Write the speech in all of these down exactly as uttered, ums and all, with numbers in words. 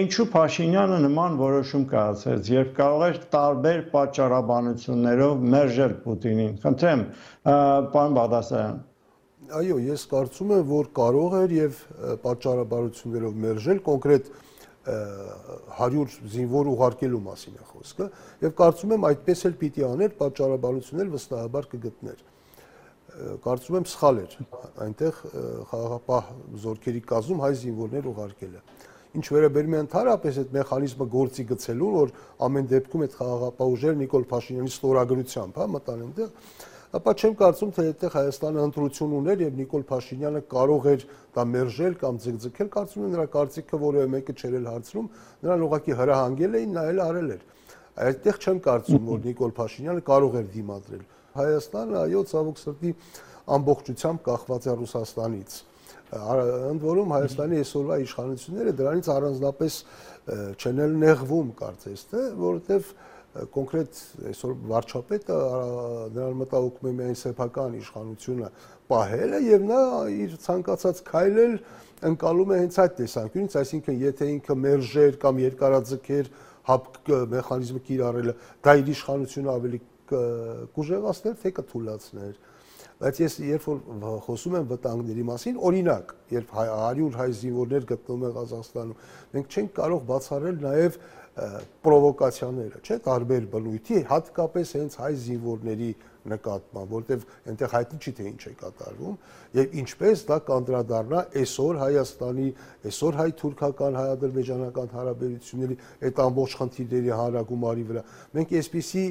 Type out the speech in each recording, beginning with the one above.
Ինչու Փաշինյանը նման որոշում կայացրեց, երբ կարող էր տարբեր պատճառաբանություններով մերժել Պուտինին։ Խնդրեմ, պարոն Բաղդասարյան։ Այո, ես կարծում եմ, որ կարող էր եւ պատճառաբանություններով մերժել կոնկրետ հարյուր զինվոր ուղարկելու մասին է խոսքը, եւ կարծում եմ այդպես էլ պիտի աներ, պատճառաբանություններ վստահաբար կգտներ։ Կարծում եմ սխալ էր այնտեղ խաղաղապահ զորքերի կազմում հայ զինվորներ ուղարկելը։ Ինչ վերաբերում է ընդհանրապես այդ մեխանիզմը գործի գցելուն, որ ամեն դեպքում այդ խաղաղապահ ուժերը Նիկոլ Փաշինյանի ստորագրությամբ, հա, մտան այնտեղ, ապա չեմ կարծում, թե այդտեղ Հայաստանը ընտրություն ուներ եւ Նիկոլ Փաշինյանը կարող էր դա մերժել կամ ձգձգել, կարծում եմ նրա կարծիքը որևէ մեկը չէր էլ հարցնում, նրան ուղղակի հրահանգել էին, նա էլ արել էր։ Այդտեղ չեմ կարծում, որ Նիկոլ Փաշինյանը կարող էր դիմադրել։ Հայաստանը, այո, ցավոք սրտի ամբողջությամբ կախված է Ռուսաստանից։ Ընդ որում Հայաստանի այսօրվա իշխանությունները դրանից առանձնապես չեն էլ նեղվում, կարծես թե, որովհետև կոնկրետ այսօր վարչապետը նրան մտահոգում է միայն սեփական իշխանությունը պահելը եւ նա իր ցանկացած քայլել ընկալում է հենց այդ տեսանկյունից, այսինքն եթե ինքը մերժեր կամ երկարաձգեր հապկ մեխանիզմը կիրառելը, դա իր իշխանությունը ավելի կուժեղացներ, թե կթուլացներ։ Բայց ես երբ որ խոսում եմ վտանգների մասին, օրինակ, երբ հարյուր հայ զինվորներ գտնվում են Ղազախստանում, մենք չենք կարող բացառել նաև պրովոկացիաները, չէ՞, տարբեր բնույթի, հատկապես հենց հայ զինվորների նկատմամբ, որտեղ այնտեղ հայտնի չի թե ինչ է կատարվում, եւ ինչպես դա կանդրադառնա այսօր Հայաստանի, այսօր հայ-թուրքական, հայ-ադրբեջանական հարաբերությունների այդ ամբողջ խնդիրների հանրագումարի վրա։ Մենք այսպիսի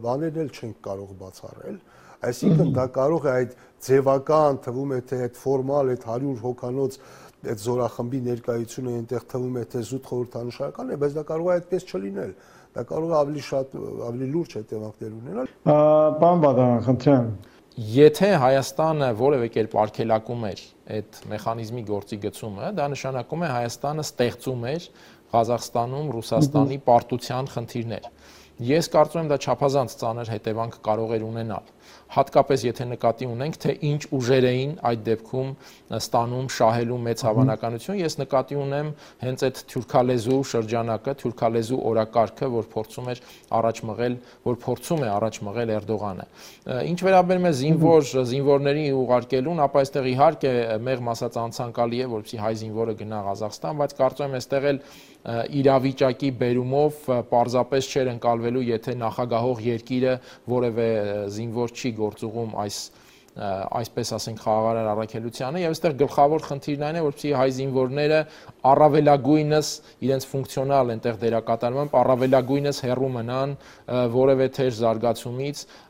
բաներ էլ չենք կարող բացառել։ Այսինքն դա կարող է այդ ձևական թվում է թե այդ ֆորմալ այդ հարյուր հոգանոց այդ զորախմբի ներկայությունը այնտեղ թվում է թե զուտ խորհրդանշական է, բայց դա կարող է այդպես չլինել։ Դա կարող է ավելի շատ ավելի լուրջ հետևանքներ ունենալ։ Պարոն Բաղդասարյան, խնդրեմ։ Եթե Հայաստանը որևէ կերպ արգելակում էր այդ մեխանիզմի գործի գծումը, դա նշանակում է Հայաստանը ստեղծում էր Ղազախստանում Ռուսաստանի պարտության խնդիրներ։ Ես կարծում եմ դա չափազանց ծանր հետևանք կարող էր ունենալ, հատկապես եթե նկատի ունենք, թե ինչ ուժեր էին այդ դեպքում ստանում շահելու մեծ հավանականություն, ես նկատի ունեմ հենց այդ թուրքալեզու շրջանակը, թուրքալեզու օրակարգը, որ փորձում էր առաջ մղել, որ փորձում է առաջ մղել Էրդողանը։ Ինչ վերաբերում է զինվոր զինվորների ուղարկելուն, ապա այստեղ իհարկե մեղմ ասած անցանկալի է, որպեսզի հայ զինվորը գնա Ղազախստան, բայց կարծում եմ այստեղ էլ իրավիճակի բերումով պարզապես չէր ընկալվելու, եթե նախագահող երկիրը որևէ զինվոր չի գործուղում այս այսպես ասենք խաղաղարար առաքելությանը եւ այստեղ գլխավոր խնդիրն այն է, որպեսզի հայ զինվորները առավելագույնս իրենց ֆունկցիոնալ այնտեղ դերակատարմամբ առավելագույնս հեռու մնան որևէ թեժ զարգացումից,